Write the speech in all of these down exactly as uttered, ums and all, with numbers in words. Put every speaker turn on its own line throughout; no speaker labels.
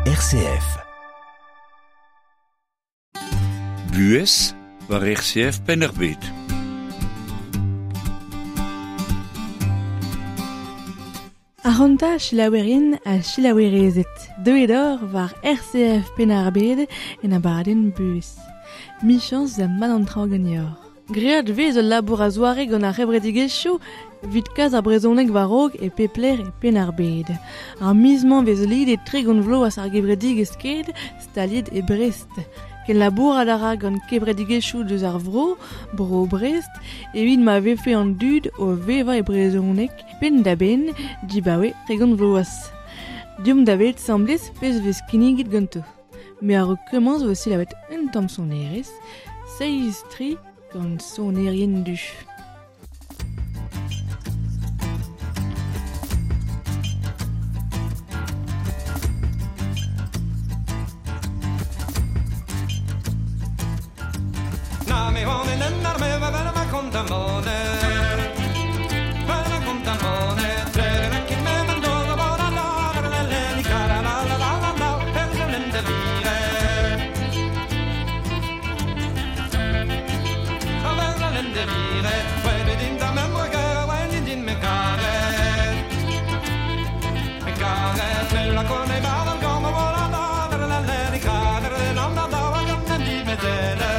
R C F.
Buhez war R C F Penn-ar-Bed.
Aranta selaouerien ha selaouerezed, deuet or war R C F Penn-ar-Bed en abadenn Buhez. Michañs da mat an traoù ganeoc'h. Great vez ul labour a-zoare gant ar c'hevredigezhioù evit kas ar brezhoneg war-raok e pep lec'h e Penn-ar-Bed. Ar miz-mañ vez lidet tregont vloaz ar gevredigezh Sked staliet e Brest. Ken labourat a ra gant kevredigezhioù deus ar vro, bro Brest, evit ma vefe an dud o vevañ e brezhoneg penn-da-benn dibaoe tregont vloaz. Deomp da welet 'sambles pezh vez kinniget ganto. Me a-raok komañs vo selaouet un tamm sonerezh, seizh tri gant sonerien du.
Na me hon en en arme va vera ma kontamone. Vera kontamone, tre la ki me mando la la la la la la ni cara la la la la la per de vire. A vera de vire, quelle din da me moga, quelle din me care. Me care, me la con e va la come la la la la la ni cara la la la la la di me dele.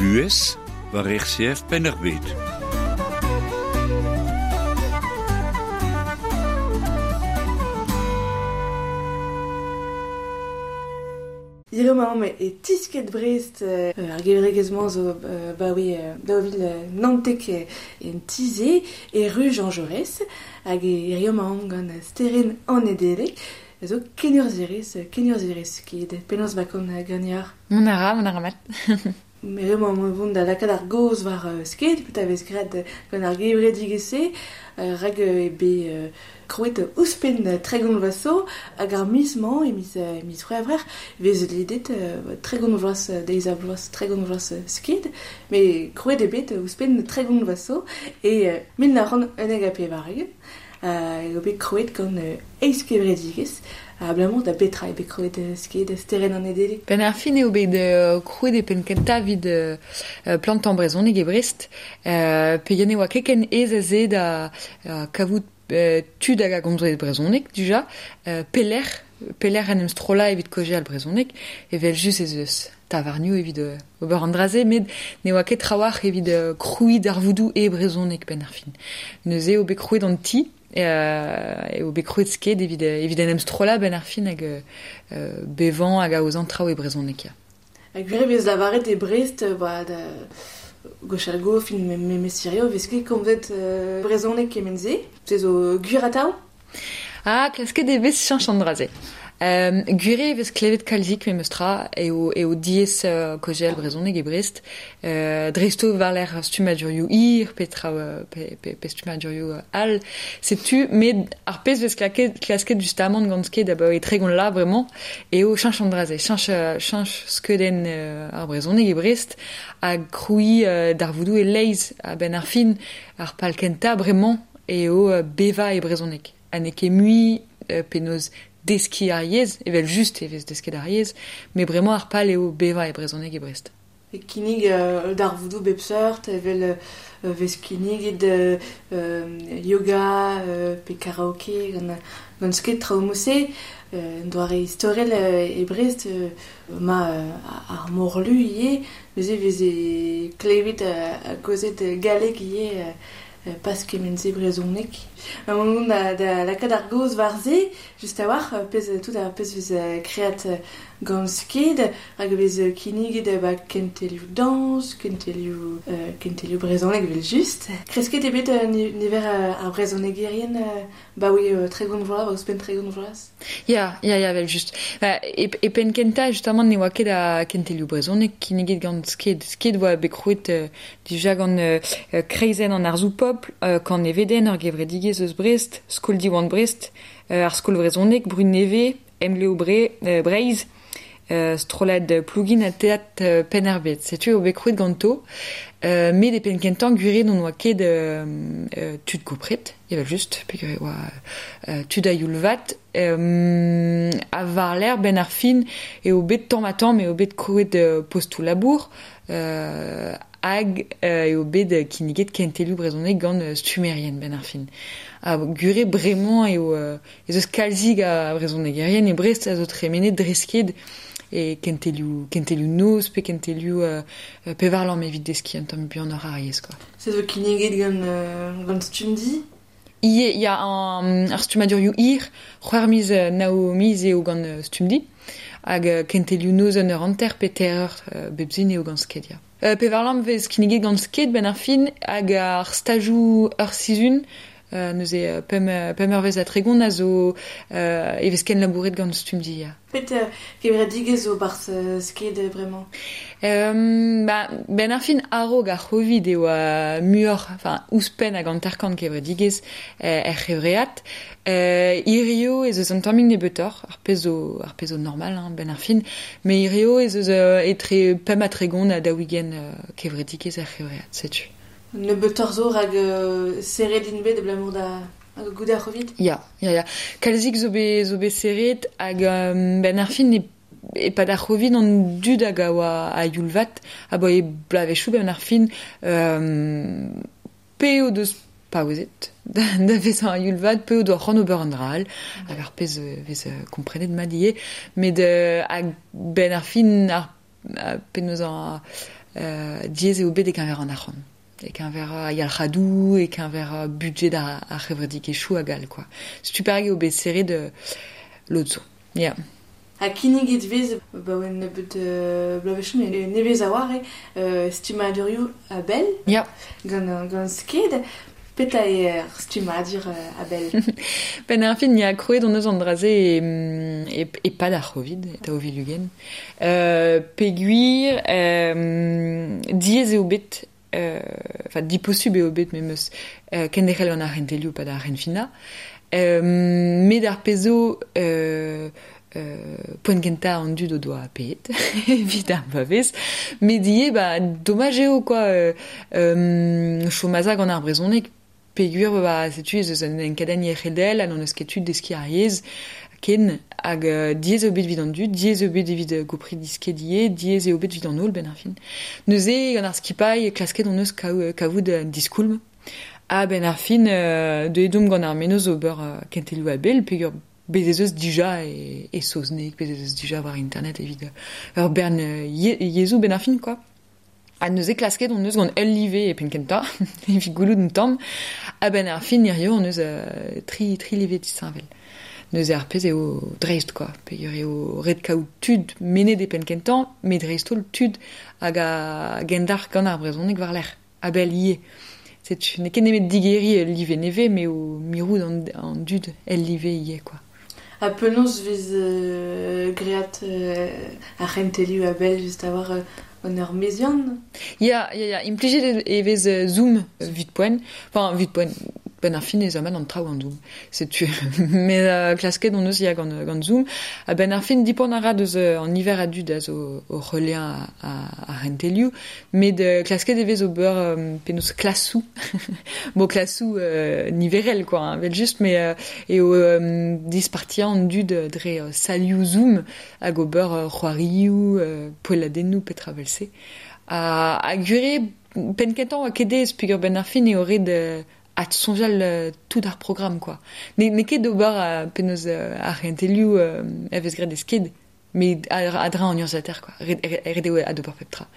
Buhez war R C F Penn-ar-Bed.
Hiziv e tisket Brest euh, ar gevredigezh-mañ zo euh, baoe euh, daou vil naontek en Tize e ru Jean Jaurès hag hiziv emaomp gant Sterenn an Nedeleg zo kenurzhierez kenurzhierez Sked. Penaos 'va kont ganeoc'h?
Mont a ra, mont a ra mat.
Hiziv emaomp vont da lakaat ar gaoz war uh, Sked, petra vez graet gant ar gevredigezh-se, uh, rak uh, eo bet uh, krouet ouzhpenn tregont vloaz zo, hag ar miz-mañ, e miz, uh, miz C'hwevrer, vez lidet uh, tregont vloaz uh, deiz ha bloaz tregont vloaz uh, Sked, met krouet eo bet ouzhpenn tregont vloaz zo, e uh, mil nav c'hant unnek ha pevar-ugent, uh, eo bet krouet gant uh, eizh kevredigezh, abalamour da betra eo bet krouet Sked, Sterenn an Nedeleg?
Ben ar fin eo bet uh, krouet e penn kentañ evit uh, plantañ brezhoneg e Brest, uh, pegen e oa ket ken aes aze da uh, kavout uh, tud hag a gomz brezhoneg dija, uh, pelec'h peler en em strolla evit kaozeal brezhoneg, evel just ez eus tavarnioù evit euh, ober an dra-se, met ne oa ket trawalc'h evit euh, krouiñ darvoudoù e brezhoneg benn ar fin. Neuze eo bet krouet an ti, euh, eo bet krouet sked evit, evit en em strolla benn ar fin hag euh, bevañ hag aozañ traoù e brezhoneg ya.
Hag gwir e vez lavaret e Brest, ba, da gwechall go fin me me mesirio, vez ket komzet euh, brezhoneg kement-se, se zo gwir atav?
Ah, klasket e vez cheñch an dra-se. Euh, gwir eo e vez klevet kalzik memes tra eo, eo diaes euh, kaozeal brezhoneg e Brest. Euh, dreist-holl war-lerc'h stummadurioù hir pe traoù pe, pe, pe stummadurioù all. Setu, met ar pezh vez klaket, klasket justamant gant sked abaoe tregont la bremañ eo cheñch an dra-se, cheñch, cheñch skeudenn euh, ar brezhoneg e Brest ha krouiñ euh, darvoudoù e-leizh a-benn ar fin ar pal kentañ bremañ eo euh, bevañ e brezhoneg. Ha n'eo ket mui euh, penaos deskiñ ar yezh, evel just e vez desket ar yezh, met bremañ ar pal eo bevañ e brezhoneg e Brest.
E kinnig euh, darvoudoù bep seurt, evel euh, vez kinniget euh, yoga euh, pe karaoke gant, gant sked traoù mod-se, euh, doare istorel euh, e Brest euh, ma euh, ar morlu ivez, neuze veze klevet euh, kaozet galleg ivez euh, pas kement-se brezhoneg. Ma mont da, da lakaat ar gaoz war-se, just a-walc'h, pezh tout ar pezh vez kreat gant sked, hag vez kinniget ba kentelioù dañs, kentelioù, euh, kentelioù brezhoneg evel just. Kresket eo bet niver ar brezhonegerien ba oui tregont vloaz, ba ouzhpenn tregont vloaz.
Ya, ya, ya, evel just. Ba, e, e penn kentañ, justamant, ne oa ket a kentelioù brezhoneg kinniget gant sked. Sked oa bet krouet euh, dija gant euh, kreizenn an arzoù pobl, euh, kan Neveden, ur gevredigezh eus Brest, Skol Diwan Brest, euh, ar Skol Vrezhoneg, Brud Nevez, Emgleo Bre, euh, Breizh, euh, strollad Plougin ha Teatr euh, Penn-ar-Bed. Setu eo bet krouet ganto, euh, met e penn kentañ gwir eo n'on oa ket euh, euh, tud gopret, evel just, peogwir e oa euh, tud a youl vat, euh, ha war-lerc'h benn ar fin eo bet tamm-ha-tamm eo bet krouet euh, postoù labour, euh, hag euh, eo bet kinniget kentelioù brezhoneg gant euh, stummerien benn ar fin. Ha gwir eo bremañ eo euh, ez eus kalzik a brezhonegerien e Brest a zo tremenet dre sked e kentelioù, kentelioù noz pe kentelioù euh, pevar lamm evit deskiñ un tamm buanoc'h ar yezh, quoi.
Se zo kinniget gant, euh, gant Stumdi?
Ie, ya an, ar stummadurioù hir, c'hwec'h miz nav miz eo gant Stumdi, hag kentelioù noz un eur hanter pe teir eur euh, bep sizhun eo gant sked, ya. Euh, pevar lamm vez kinniget gant sked benn ar fin hag ar stajoù ur sizhun, euh, neuze pemp, pemp eurvezh ha tregont a zo euh, e vez ken labouret gant Stumdi, ya.
Pet euh, kevredigezh zo barzh euh, sked bremañ?
Euh, ba, benn ar fin a-raok ar C'hovid eo uh, muioc'h, enfin, ouzhpenn hag hanter-kant kevredigezh euh, er c'hevread. Euh, hirio ez eus un tammig nebeutoc'h, ar pezh zo, ar pezh zo normal, hein, benn ar fin, met hirio ez eus euh, etre pemp ha tregont ha daou-ugent euh, kevredigezh er c'hevread, setu.
Nebeutoc'h zo rak euh, serret int bet abalamour da hag goude ar C'hovid?
Ya, ya, ya. Kalzik zo bet, zo bet serret hag euh, benn ar fin e e-pad ar C'hovid an dud hag a oa a youl vat abaoe bloavezhioù benn ar fin euh, pe o deus paouezet da, da vezañ a youl vat, pe o doa c'hoant ober an dra all, hag ar pezh vez komprenet mat ivez, met euh, hag benn ar fin ar, ar penaos an euh, diaes eo bet e-keñver an arc'hant. E-keñver a yalc'hadoù, e-keñver budget ar, ar c'hevredigezhioù hag all, quoi. Setu perak eo bet serret euh, lod zo. Ya.
Ha kinniget vez, ba oa nebeut euh, bloavezhioù, met nevez a-walc'h eo, euh, stummadurioù a-bell.
Ya.
Gant, gant sked. Petra eo ar stummadur euh, a-bell?
Benn ar fin, ya krouet hon eus an dra-se e, e, e-pad ar C'hovid, daou vil ugent. Euh, peogwir, euh, diaes eo bet, euh, enfin, diposubl eo bet memes euh, kenderc'hel gant ar c'hentelioù pad ar c'henfinañ. Euh, met ar pezh zo euh, euh, poent kentañ an dud o doa paeet, evit ar bloavezh, met ivez, ba, domaj eo, quoi, euh, euh, chom a za gant ar brezhoneg, peogwir, ba, setu ez eus un enkadenn yec'hedel, ha n'hon eus ket tud deskiñ ar yezh, ken, hag euh, diaes eo bet evit an dud, diaes eo bet evit euh, gopri disket ivez, diaes eo bet evit an holl benn ar fin. Neuze, gant ar skipailh, klasket hon eus kaou, kavout un diskoulm. Ha benn ar fin, euh, deuet omp gant ar mennozh ober euh, kentelioù a-bell, peogwir Bez ez eus dija e, e saozneg, bez ez eus dija war internet evit ur bern ye, yezhoù ben ar fin, quoi. Ha neuze klasket on eus gant ul live e penn kentañ, evit goulout un tamm, ha ben ar fin hirio on eus euh, tri, tri live disheñvel. Neuze ar pezh eo dreist, quoi. Peogwir eo ret kaout tud menet e penn kentañ, met dreist-holl tud hag a gendalc'h gant ar brezhoneg war-lerc'h, a-bell ivez. Setu n'eo ket nemet digeriñ ul live nevez, met o mirout an, an dud el live ivez, quoi.
Ha penaos vez euh, great euh, ar c'hentelioù a-bell just a war euh, an ur meziant?
Ya, ya, ya, implijet e vez euh, Zoom vit poent, enfin vit poent, ben ar fin ez aman an traoù an Zoom. Setu met euh, klasket on eus ya gant, gant Zoom. Ha ben ar fin dipant a ra deus euh, an niver a dud a zo o reliañ a, a, a c'hentelioù, met euh, klasket e vez ober euh, penaos klasou. Bo klasou euh, niverel, quoi, hein, vel just, met euh, eo euh, dispartiañ an dud dre euh, salioù Zoom hag ober euh, c'hoarioù, euh, poelladennoù petra vel-se. Ha, ha gwir eo, penn kentañ oa ket aes peogwir ben ar fin eo ret euh, at soñjal euh, tout ar programm, quoi. Ne, n'eo ket d'ober euh, penaos euh, ar c'hentelioù euh, a vez graet e sked, met a-dreñv an urzhiataer, quoi. Ret, ret eo adober pep tra.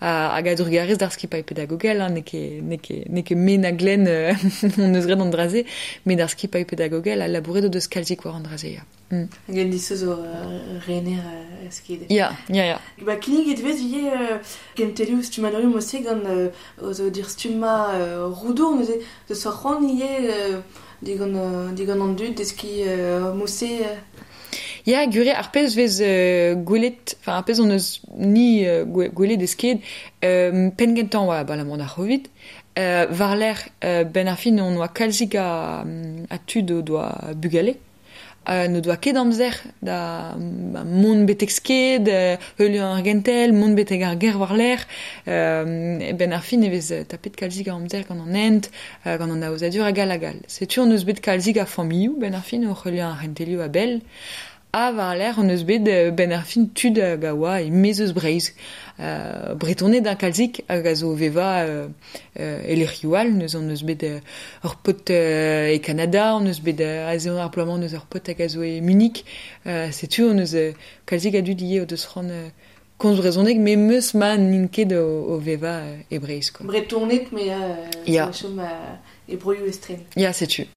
Ha, hag a-drugarez d'ar skipailh pedagogel, hein, n'eo ket, n'eo ket, n'eo ket me na Glenn euh, on eus graet an dra-se, met d'ar skipailh pedagogel a labouret o deus kalzik war an dra-se, ya. Mm.
Hag an disoz o euh, rener euh, sked.
Ya, ya, ya.
Ba kinniget vez ivez euh, kentelioù stummadurioù mod-se gant euh, o zo dir stumma euh, roudour neuze deus ar c'hoant ivez euh, digant, euh, digant an dud deskiñ euh, mod-se euh.
Ya, gwir eo, ar pezh vez euh, gwelet, enfin ar pezh on eus ni euh, gwelet e sked, euh, penn kentañ oa abalamour d'ar Covid, euh, war-lerc'h euh, ben ar fin on oa kalzik a, a tud o doa bugale, euh, n'o doa ket amzer da ba, mont betek sked, euh, heuliañ ar gentel, mont betek ar ger war-lerc'h, euh, ben ar fin e vez tapet kalzik a amzer gant an hent, euh, gant an aozadur hag all hag all. Setu on eus bet kalzik a familhoù ben ar fin o heuliañ ar c'hentelioù a-bell, ha war-lerc'h on eus bet ben ar fin tud hag a oa e maez eus Breizh. Euh, Bretoned un kalzik hag a zo veva euh, euh, e lec'hioù all, neuze on eus bet euh, ur paotr euh, e Kanada, on eus bet euh, aze ar bloaz-mañ on eus ur paotr hag a zo e Munich. Euh, setu on eus euh, kalzik a dud ivez o deus c'hoant euh, komz brezhoneg, met meus ma n'int ket o, o veva euh, e Breizh, quoi.
Bretoned, met euh,
Ya.
chom euh, e broioù estren.
Ya, setu.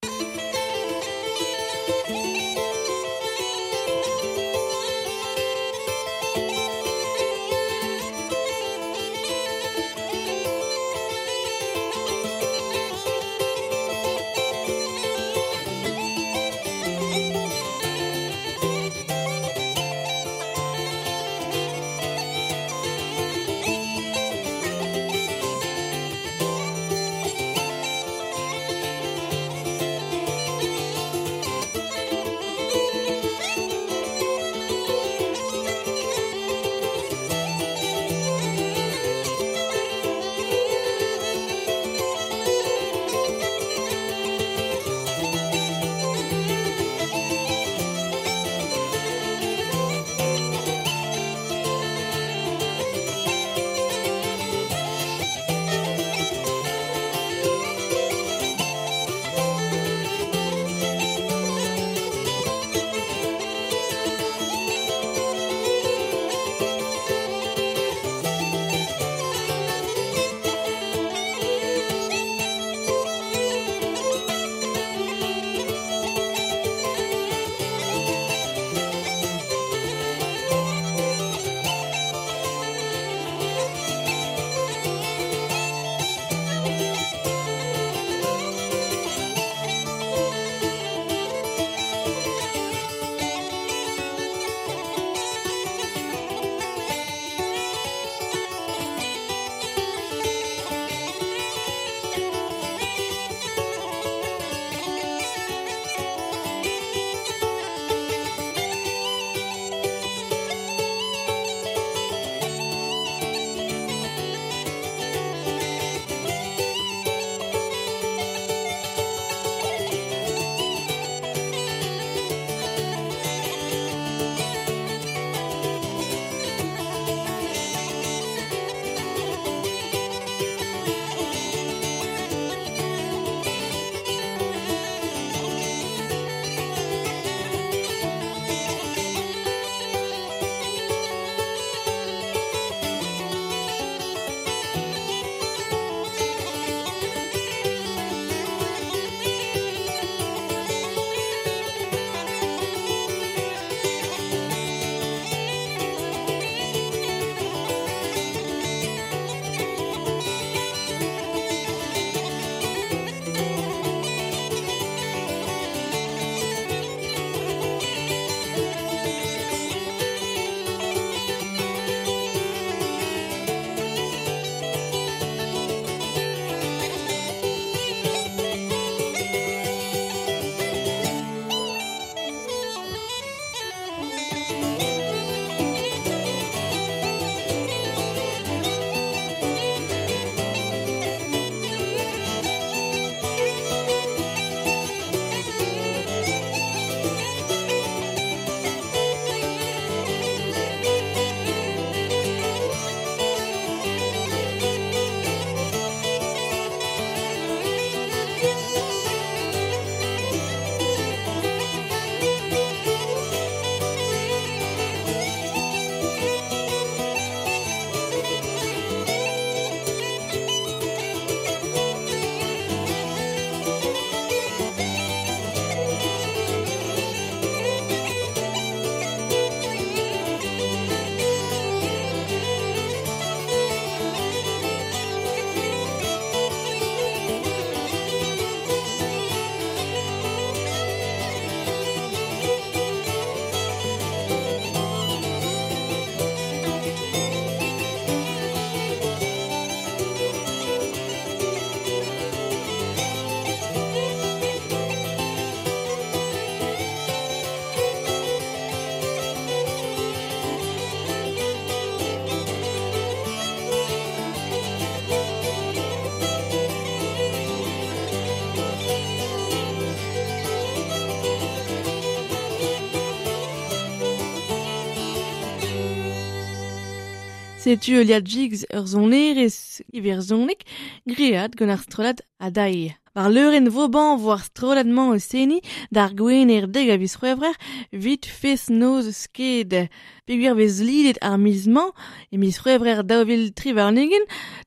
Setu heuliad jigs ur sonerezh iwerzhonek great gant ar strollad Adailh. War leurenn Vauban vo ar strollad-mañ o seniñ d'ar gwener dek a viz C'hwevrer 'vit fest-noz Sked. Peogwir vez lidet ar miz-mañ e miz C'hwevrer daou vil tri warn-ugent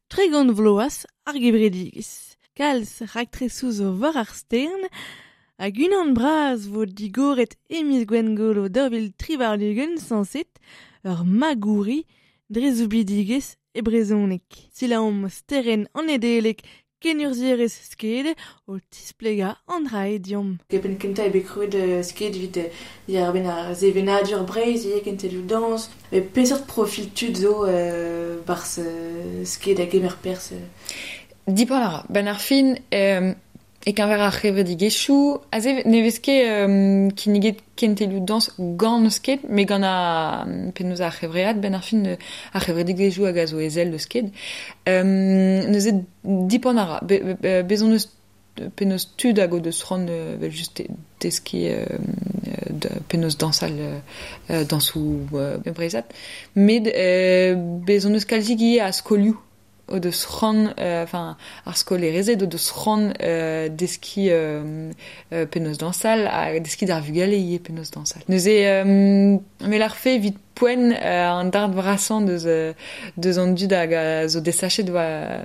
tregont vloaz ar gevredigezh. Kalz raktresoù zo war ar stern hag unan bras vo digoret e miz Gwengolo daou vil tri warn-ugent sañset ur magouri dre soubidigezh e brezhoneg. Selaomp Sterenn an Nedeleg kenurzhierez Sked o tisplegañ an dra eo deomp.
E penn kentañ eo bet krouet Sked evit diarbenn ar sevenadur Breizh ivez kentelioù dañs. Met peseurt profil tud zo euh, 'barzh Sked a gemer perzh?
Dipant a ra. Ben ar fin euh, e keñver ar c'hevredigezhioù aze ne vez ket euh, kinniget kentelioù dañs gant Sked, met gant ar penaos ar c'hevread ben ar fin ar c'hevredigezhioù hag a zo ezel deus Sked. Euh, neuze dipant a ra. Be, be, bez hon eus penaos tud hag o deus c'hoant evel just deskiñ euh, penaos dañsal euh, dañsoù euh, breizhat. Met euh, bez hon eus kalzik ivez a skolioù o deus c'hoant, enfin ar skolaerezed o deus c'hoant euh, deskiñ euh, euh, penaos dañsal ha deskiñ d'ar vugale ivez penaos dañsal. Neuze euh, me l'arfe evit poent euh, an dard brasañ deus, deus an dud hag a zo desachet war,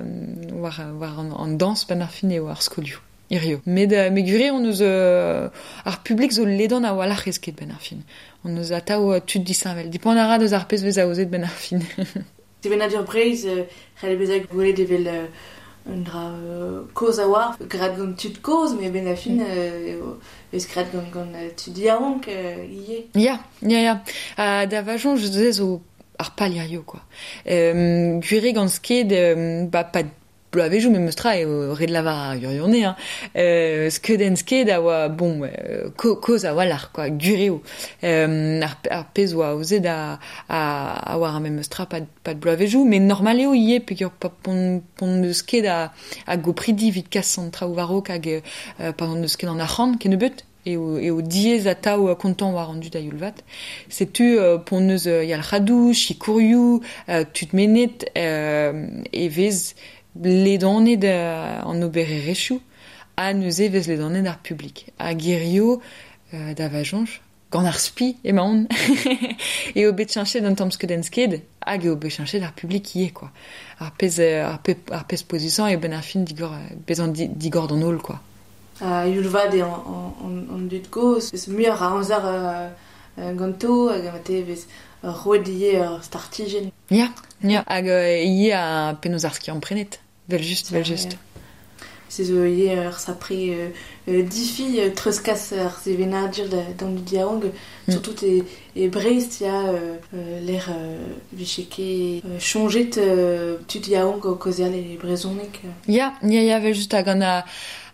war, war an, an dañs ben ar fin eo ar skolioù. Hirio. Met, euh, met gwir eo hon eus euh, ar publik zo ledan a-walc'h e Sked ben ar fin. On eus atav tud disheñvel. Dipant a ra deus ar pezh vez aozet ben ar fin.
Sevenadur Breizh c'hell bezañ gwelet evel un dra kozh a-walc'h, graet gant tud kozh, met ben ar fin vez graet gant, gant tud yaouank ivez.
Ya, ya, ya. Ha da va soñj se zo ar pal hirio, quoi. Euh, gwir eo gant Sked, euh, ba, pa bloavezhioù memes tra eo ret lavar ar gwirionez, hein. Euh, skeudenn Sked a oa, bon, euh, ko, kozh a-walc'h, quoi, gwir eo. Euh, ar, ar pezh oa aozet a, a, a oa ar memes tra pad, pad bloavezhioù, met normal eo ivez peogwir pa pon, pon deus ket a, a gopridi evit kas an traoù war-raok hag euh, pa hon deus ket an arc'hant kennebeut. Eo, eo diaes atav kontañ war an dud a youl vat. Setu euh, p'hon eus yalc'hadoù, sikourioù, euh, tud mennet euh, e vez ledanet an obererezhioù ha neuze vez ledanet ar publik. Hag hirio euh, da va soñj, gant ar spi emaon eo bet cheñchet an tamm skeudenn Sked hag eo bet cheñchet ar publik ivez, quoi. Ar pezh, ar pe, ar pezh pouezusañ eo ben ar fin digor, bezañ di, digor d'an holl, quoi.
Ha youl vat eo an, an, an dud kozh, eus muioc'h a amzer euh, ganto hag mat vez roet ivez ur startijenn.
Ya, ya. Hag euh, ivez a penaos ar skiant prenet. Vel just, vel just.
Se zo ivez ur sapre euh, difi euh, treuzkas ar sevenadur d'an dud yaouank. Mm. Surtout e, e Brest ya euh, l'air euh, vije ket euh, soñjet euh, tud yaouank o kaozeal e brezhoneg.
Ya, ya, ya, vel just hag an a,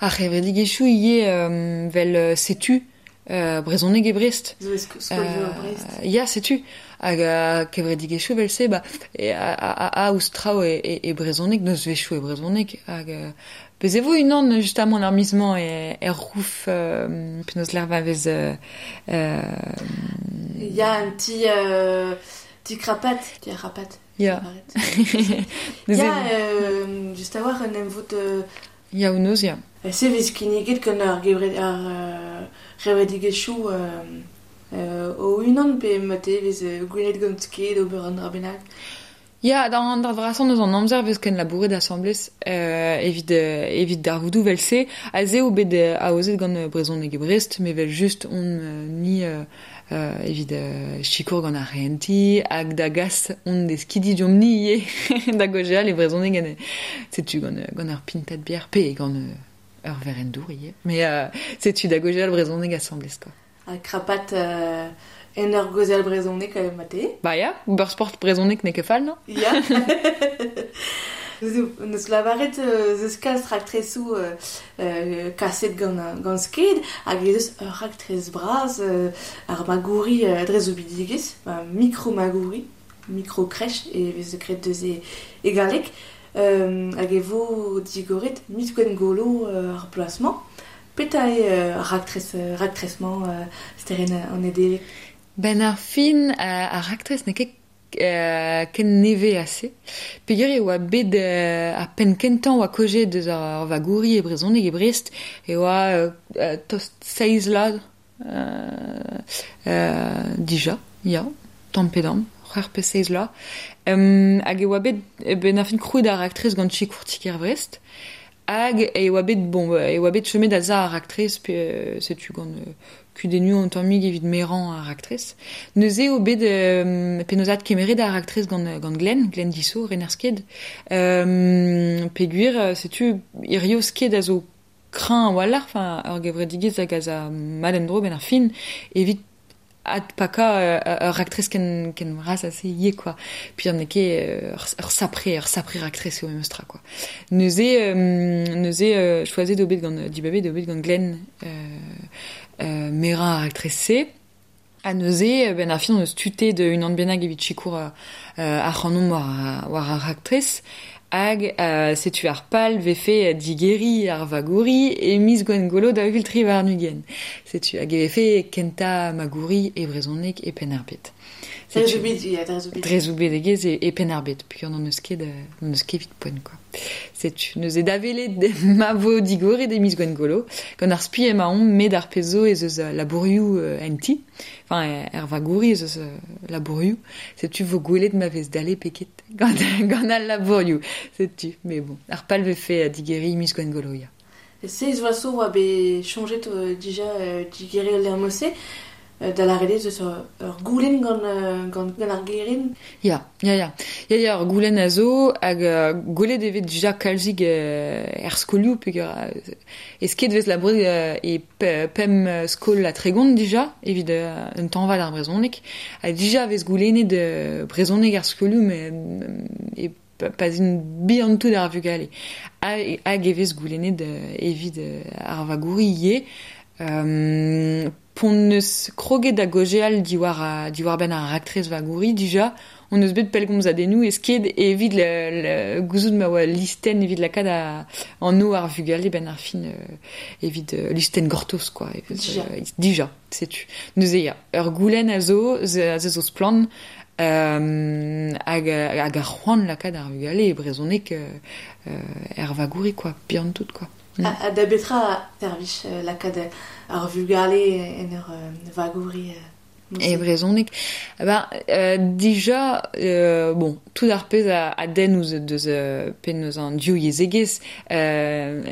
ar c'hevredigezhioù ivez euh, vel euh, setu euh, brezhoneg e Brest.
Zo e skolioù e Brest.
Euh, ya, setu. Hag a kevredigezhioù vel se, ba, e, a, a, a ouzh traoù e, e, e brezhoneg, nozvezhioù e brezhoneg. Hag euh, bez e vo unan justamant ar miz-mañ e, er rouf euh, penaos l'er va vez... Euh, euh,
Ya, un petit, euh, petit krapat, petit rapat.
Ya.
Ya, euh, just a-walc'h un emvod... Euh,
Ya, o noz, ya.
Se vez kinniget gant ar gevred, ar euh, gevredigezhioù euh, euh, o unan pe mat e vez gwelet gant Sked ober an dra bennak.
Ya, d'an d'ar vrasañ eus an amzer vez ken labouret asambles euh, evit, euh, evit darvoudoù vel se. Aze eo bet aozet gant brezhoneg e Brest, met vel just on euh, ni euh, euh, evit euh, sikour gant ar renti, hag da gas on deskidi diomp ni ivez da gojeal e brezhoneg gant, setu gant, gant ur pintad bière, pe gant euh, ur verenn dour ivez. Mais euh, setu da gojeal brezhoneg asambles, quoi.
Ha krapat euh, en ur gozeal brezhoneg euh, mate.
Ba ya, ur sport brezhoneg n'eo ket fall, non?
Ya. Neus lavaret euh, zeus kalz raktresoù euh, euh, kaset gant, gant Sked, hag ez eus ur raktres bras euh, ar magouri euh, dre zoubidigezh, ba, micro-magouri, micro-crèche, e vez graet deus e, e galleg, euh, hag e vo digoret miz Gwengolo euh, ar bloaz-mañ. Petra eo euh, raktres, raktres-mañ euh, Sterenn an Nedeleg?
Ben ar fin euh, ar raktres n'eo ket euh, ken neve ase. Peogwir e oa bet euh, ar penn kentañ oa koje deus ar vagouri e brezhoneg e Brest e oa euh, tost seizh vloaz euh, euh, dija, ya, tamm pe damm, c'hwec'h pe seizh vloaz. Um, hag e oa bet ben ar fin krouet ar raktres gant sikour ti-kêr Brest. Hag e oa bet, bon, e oa bet chomet da za ar raktres, pe setu gant euh, kudennoù an tammig evit merañ ar raktres. Neuze eo bet euh, penaos kemeret ar raktres gant, gant Glenn, Glenn Dissot, rener Sked. Euh, peogwir, setu hirio Sked a zo kreñv a-walc'h, enfin, ur gevredigezh hag a za mat en-dro ben ar fin, evit adpakañ ur raktres ken, ken bras ase ivez, quoi. Puis an ket ur, ur sapre, ur sapre raktres eo memes tra, quoi. Neuze, euh, neuze euh, choazet eo bet gant dibabet eo bet gant Glenn euh, euh, merañ ar raktres-se. Ha neuze, ben ar fin on eus tutet unan bennak evit sikour euh, ar c'hanomp war, war ar raktres. Hag euh, setu ar pal vefe digeri ar vagouri e miz Gwengolo da vil tri warn-ugent. Setu hag e vefe kenta magouri e brezhoneg e Penn-ar-Bed.
Dre zo bet, ya, dre zo bet.
Dre zo bet egez e, e Penn-ar-Bed, peogwir n'hon eus ket, n'hon eus ket evit poent, quoi. Setu, neuze da welet ma vo digoret e miz Gwengolo, gant ar spi emaomp met ar pezh zo ez eus labourioù en ti, enfin, er vagouri ez eus labourioù, setu vo gwelet ma vez dale peket gant, gant al labourioù, setu, mais bon, ar pal vefe digeri miz Gwengolo, ya.
Seiz vloaz zo oa bet soñjet euh, dija euh, digeri al lec'h-se, da lâret eus ur goulenn gant, gant, gant ar gerent.
Ya, ya, ya. Ya, ya, ur goulenn a zo, hag uh, gwelet e vez dija kalzik uh, er skolioù, peogwir uh, e Sked vez labouret uh, e pemp skol ha tregont dija, evit uh, un tañva ar brezhoneg. Ha dija vez goulennet uh, brezhoneg ar skolioù, met e pas un bihan tout ar vugale. Hag e vez goulennet uh, evit uh, ar vagouri ivez. Euh, p'hon eus kroget da gojeal diwar, a, diwar benn ar raktres vagouri dija, on eus bet pellgomzadennoù e Sked evit le, le gouzout ma oa listenn evit lakaat a, an o ar vugale ben ar fin euh, evit euh, listenn gortoz, quoi. Evit,
Dija.
Euh, dija, setu. Neuze ya, ur goulenn a zo, a zo splann, euh, hag, hag ar c'hoant lakaat ar vugale e brezhoneg euh, er vagouri, quoi, bihan tout, quoi.
Mm. A, a da betra servij euh, lakaat ar vugale en ur euh, vagouri euh,
E brezhoneg. Ben, euh, dija, euh, bon, tout ar pezh a, a denn ouzh deus euh, penaos an div yezhegezh, euh,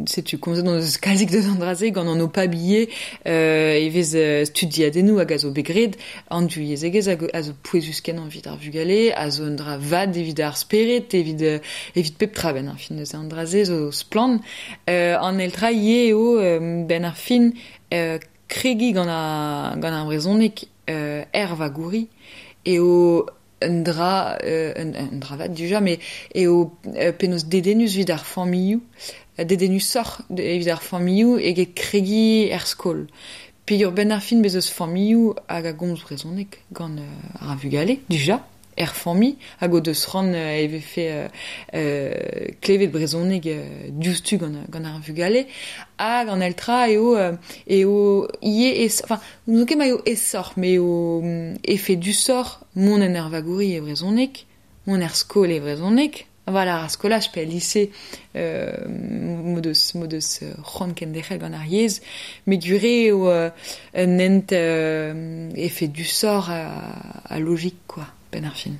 setu komzet hon eus kalzik deus an dra-se gant an OPAB ivez, euh, e vez euh, studiadennoù hag a zo bet graet, an div yezhegezh hag a zo pouezus kenañ evit ar vugale, a zo un dra vat evit ar spered, evit, euh, evit pep tra ben ar fin deus an dra-se zo splann. Euh, an eil tra ivez eo euh, ben ar fin euh, kregiñ gant ar, gant ar brezhoneg euh, er vagouri eo un dra, euh, un, un dra vat dija, mais eo euh, penaos dedennus evit ar familhoù, dedennusoc'h evit ar familhoù eget kregiñ er skol. Peogwir ben ar fin bez eus familhoù hag a gomz brezhoneg gant euh, ar vugale, dija, er familh, hag o deus c'hoant euh, e vefe euh, euh, klevet brezhoneg euh, diouzhtu gant, gant ar vugale, hag an eil tra eo, euh, eo ivez es, enfin, n'ouzon ket ma eo aesoc'h, mais eo efedusoc'h mont en ur vagouri e brezhoneg, mont er skol e brezhoneg, voilà, ar skolaj pe al lise euh, m'o deus, m'o deus c'hoant kenderc'hel gant ar yezh, met gwir eo euh, un hent euh, efedusoc'h a, a logik, quoi, ben ar fin.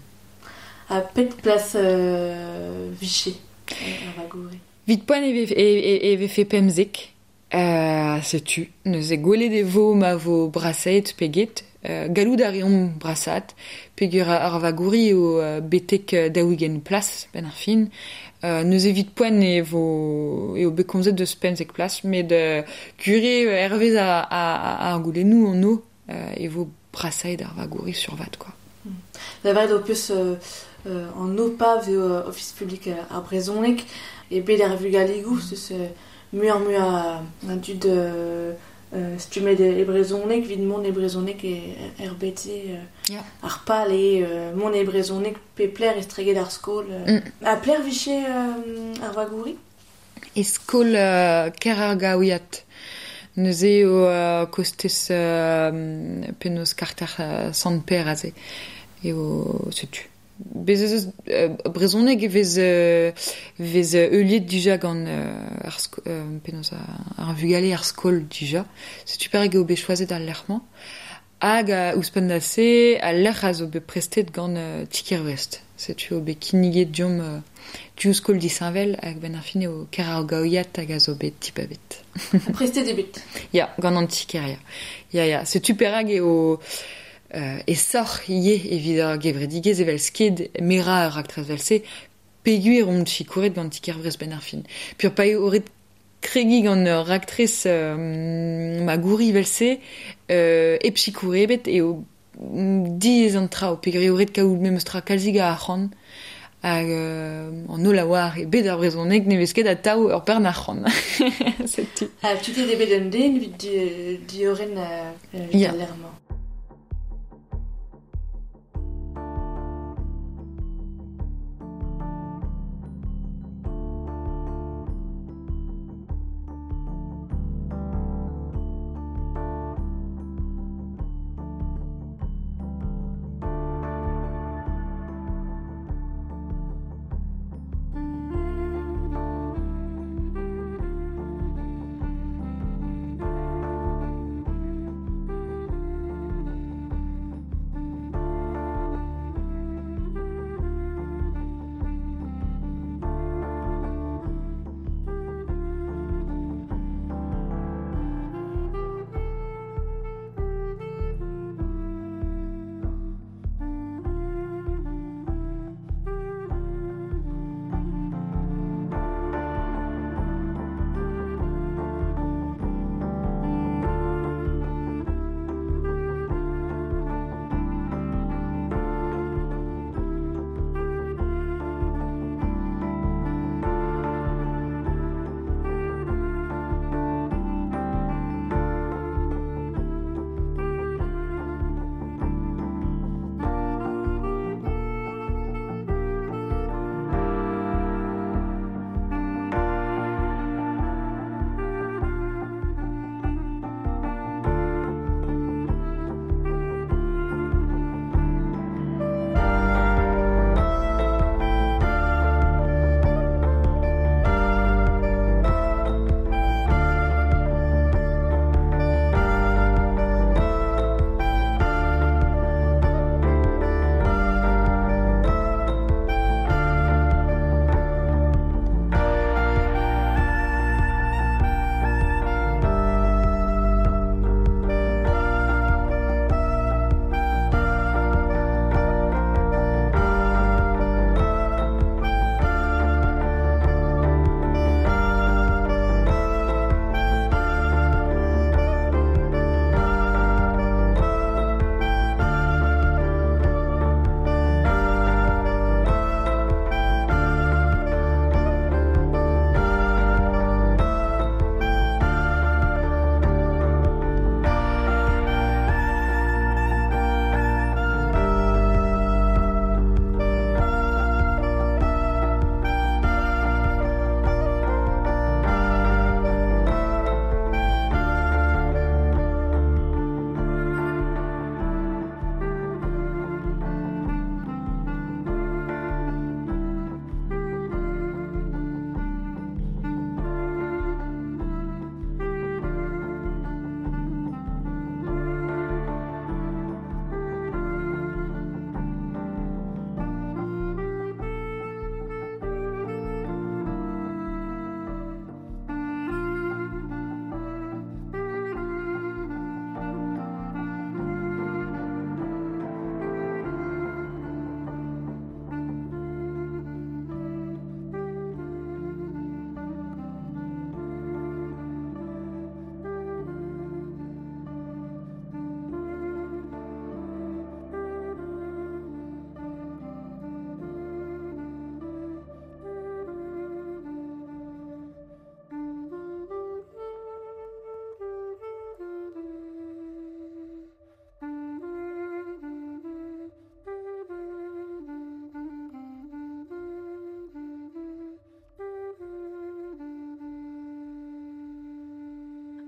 Ha pet plas euh, vije ar vagouri?
Vit poent e vefe, e, e, e vefe pemzek, euh, setu, neuze gwelet e vo ma vo brasaet pe get, euh, gallout a reomp brasaat, peogwir ar vagouri eo euh, betek daou-ugent plas ben ar fin. Euh, neuze evit poent e vo, eo bet komzet deus pemzek plas, met euh, gwir eo hervez a, a, a, ar goulennoù an o, euh, e vo brasaet ar vagouri sur vat, quoi.
Da lavaret ho peus euh, euh, an OPAB eo euh, Ofis publik euh, ar brezhoneg e bet ar vugaligoù, zeus euh, muioc'h mui a, a dud euh, euh, stummet e brezhoneg, evit mont e brezhoneg e er B T euh,
Ya.
ar pal e euh, mont e brezhoneg pe pler estreget ar skol. Euh.
Mm.
Ha pler vije euh, ar vagouri?
E skol euh, Kerargaouiat. Neuze eo euh, kostez euh, penaos karter euh, Sant-Pêr aze. Eo setu. Bez eus euh, brezhoneg e vez euh, vez heuliet dija gant euh, ar sko, euh, penaos ar vugale ar skol dija. Setu perag eo bet choazet al lec'h-mañ. Hag uh, ouzhpenn da se, al lec'h a zo bet prestet gant uh, Tiker Brest. Setu eo bet kinniget diomp uh, diouzh skol disheñvel hag ben ar fin eo ker ar gaouiat hag a zo bet tipabet.
Prestet eo bet.
Ya, gant an tiker, ya. Ya, ya. Setu perag eo... Euh, e soc'h ivez evit ar gevredigezh evel sked mera ar raktres vel-se peogwir omp sikouret gant Tiker Brest ben ar fin. Pur pa eo ret kregi gant ur raktres euh, magouri vel-se euh, hep sikouret ebet eo diaes an traoù peogwir eo ret kaout memes tra kalzik a arc'hant hag euh, an holl a oar e bed ar brezhoneg ne vez ket atav ur bern arc'hant. Setu.
Ha tutet eo bet un den evit di, diorren euh, evit
Ya.
al lec'h-mañ.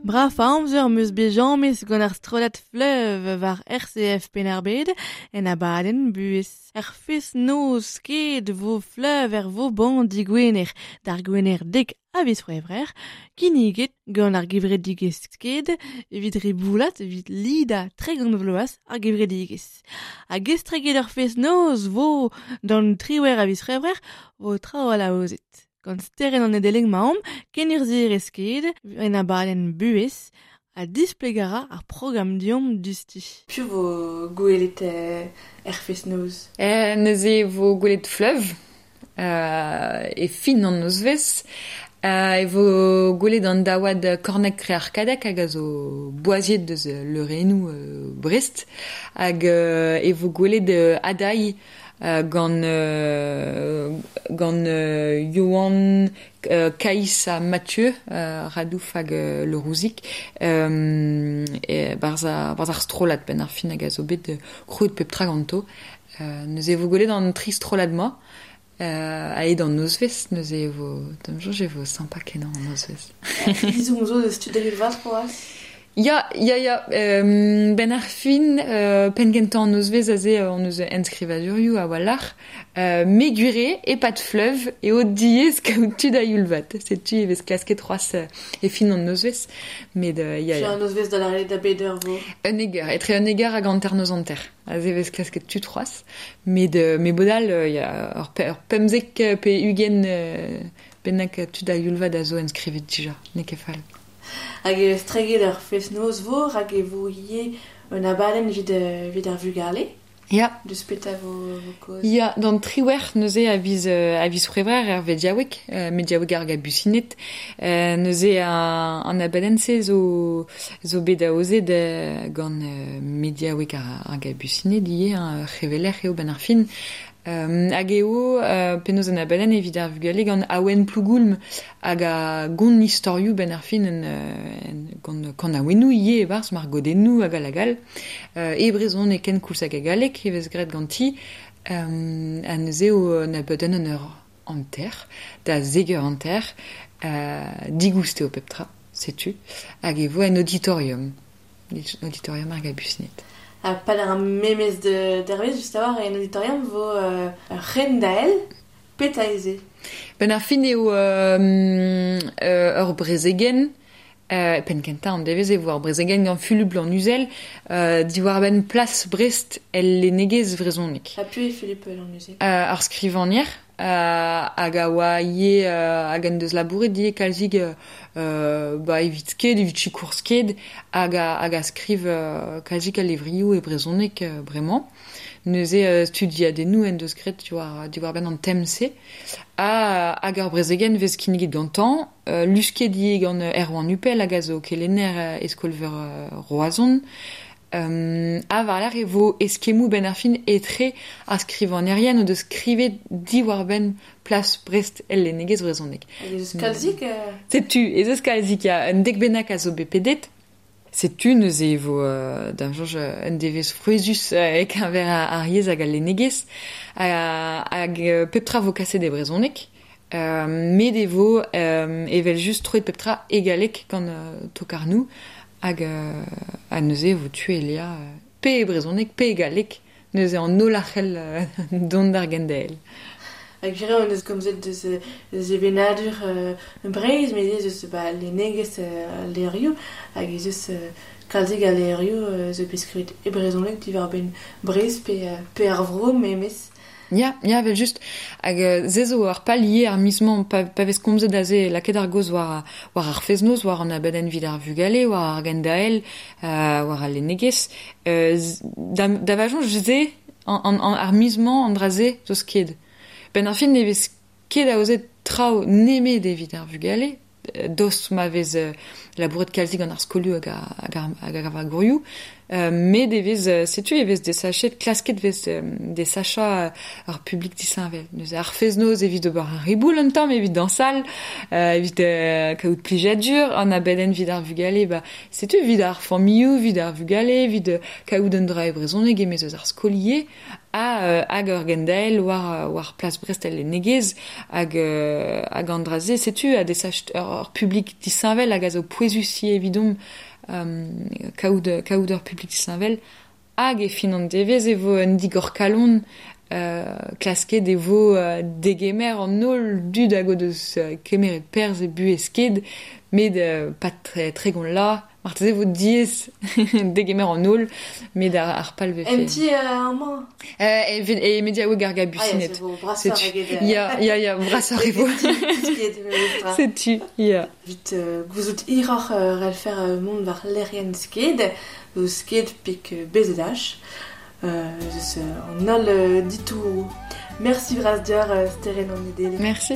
Braf amzer meus bet james gant ar strollad Fleuve war R C F Penn-ar-Bed en abadenn buhez. Er fest noz sked vo Fleuve er vo ban digwener d'ar gwener dek a viz c'hwevrer, kinniget gant ar gevredigezh sked evit reboulat evit lida tregont vloaz ar gevredigezh. Hag estreget ar fest noz vo d'an triwec'h a viz c'hwevrer vo traoù alaozet. Gant steren an edeleng maomp, kenurzhier sked, en abadenn buhez, a displegara ar programm diomp dusti.
Piv vo gwelet er fest-noz?
Eh, neuze vo gwelet Fleuve, euh, e fin an nozvezh, euh, e vo gwelet an daouad Kornek Krearkadek hag a zo boaziet deus leurennoù euh, Brest, hag euh, e vo gwelet euh, Adai, Euh, gant euh, gant euh, Johan euh, Kaïs ha Mathieu euh, Radouf hag euh, Le Rouzic euh, e barz ar, barz ar strollad ben ar fin hag a zo bet euh, krouet pep tra ganto. Euh, neuze vo gwelet an tri strollad ma euh, a ed an nozvezh, neuze vo da'm soñj e vo sympa kenañ an nozvezh.
Izomp zo deus tud da vat c'hoazh?
Ya, ya, ya, euh, ben ar fin, euh, penn kentañ an nozvezh aze an eus enskrivadurioù a walc'h, euh, me gwire e pat Fleuve e o diez kaout tud a youl-vat. Setu e vez klasket c'hoazh e fin an nozvezh, met euh, ya, ya.
An nozvezh da la da beder vo.
Un eger, etre un eger hag hanter noz hanter. Aze vez klasket tud c'hoazh, met euh, me bodal, euh, ya, ur, pe, ur pemzek pe ugent euh, bennak tud a youl-vat a zo enskrivet dija, n'eo ket fall.
Hag estreget ar fest-noz vo, hag e vo ivez un abadenn evit, evit ar vugale.
Ya.
Deus petra vo, vo kaoz?
Ya, d'an triwec'h neuze a viz, a viz c'hwevrer er vediaoueg, euh, mediaoueg ar gabusined. Euh, neuze an, an abadenn-se zo, zo bet aozet euh, gant euh, mediaoueg ar, ar gabusined ivez, hein, c'heveler eo ben ar fin. Euh, hag eo, euh, penaos an abadenn evit ar vugale gant Awen Plougoulm hag a gont istorioù ben ar fin en, en, gant kan awennoù ivez e-barzh margodennoù hag al hag all. Euh, e brezhon e ken koulz hag a galleg e vez graet ganti. Euh, ha neuze eo an abadenn an eur hanter, da zek eur hanter, euh, digoust eo pep tra, setu, hag e vo en auditorium, auditorium ar gabusined.
Ha pal ar memez de dervez, just a war, en auditorium vo euh, ren dael, peta eze.
Ben ar fin eo euh, euh, ur brezegen, euh, penn kentañ an devez e vo ar brezegen gant Fulup Lannuzel, euh, diwar benn plas Brest el lennegezh vrezhonek.
Ha piv eo Fulup Lannuzel?
Euh, ar skrivagner, euh, hag a oa ivez euh, hag en deus labouret ivez kalzik euh, ba evit sked, evit sikour sked, hag a, hag a skriv euh, kalzik a levrioù e brezhoneg euh, bremañ. Neuze euh, studiadennoù en deus graet diwar, diwar benn an tem-se. Ha hag ar brezegen vez kinniget gantañ, euh, lusket ivez gant Erwan Hupel hag a zo kelenner e skol-veur euh, Roazhon. Euh, ha war-lerc'h e vo eskemmoù ben ar fin etre ar skrivagnerien o deus skrivet diwar benn plas Brest el lennegezh vrezhonek.
Hag ez eus kalzik euh...
Setu, ez eus kalzik, ya, un dek bennak a zo bet pedet. Setu neuze e vo euh, da'm soñj un devezh frouezhus euh, e-keñver ar, ar yezh hag al lennegezh, hag euh, pep tra vo kaset e brezhoneg. Euh, met e vo euh, evel just troet pep tra e galleg gant euh, tokarnoù, hag euh, ha neuze e vo tu elia euh, pe e brezhoneg, pe e galleg, neuze an holl a c'hell euh, dont d'ar gendael.
Hag gere on eus komzet deus, deus evenadur euh, Breizh, met ez eus ba, lennegezh euh, levrioù, hag ez eus euh, kalzik a levrioù euh, zo bet skrivet e brezhoneg diwar benn Breizh pe, euh, pe ar vro memes.
Ya, ya, vel just. Hag euh, se zo ar pal ivez ar miz-mañ, pa, pa vez komzet aze lakaet ar gaoz war, war ar fest-noz, war an abadenn evit ar vugale, war ar gendael, euh, war al lennegezh. Euh, da, da va soñj se, an, an, an, ar miz-mañ an dra-se zo sked. Ben ar fin ne vez ket aozet traoù nemet evit ar vugale, dost ma vez euh, labouret kalzik gant ar skolioù hag ar, hag ar, hag ar vagourioù, Euh, met e vez, setu e vez desachet, klasket vez euh, desacha ar publik disheñvel. Neuze ar fez-noz evit ober ar riboul un tamm, evit dansal, euh, evit euh, kaout plijadur, an abadenn evit ar vugale, ba, setu evit ar familhoù, evit ar vugale, evit kaout un dra e brezhoneg emez eus ar skolier, ha euh, hag ur gendael war, war plas Brest el lennegezh hag, euh, hag an dra-se, setu a desach ur, ur publik disheñvel hag a zo pouezus evidomp um, kaout, kaout ur publik disheñvel hag e fin an devezh e vo un digor kalon euh, klasket e vo euh, degemer an holl dud hag o deus euh, kemeret perzh e buhez sked met euh, pas tre, tre gant la marteze vo diaes degemer an holl met ar, ar pal vefe.
Un petit euh, un mañ.
Euh, e, e mediaoueg ar gabusined.
Ah,
Setu. Ya, ya, ya, brasoc'h e vo. Setu, ya.
Vit euh, gouzout hiroc'h euh, relfer euh, mont war lec'hienn sked, zo sked pik euh, B Z H. Euh, zeus euh, an holl euh, ditoù. Merci bras deoc'h, euh, Sterenn an Nedeleg.
Merci.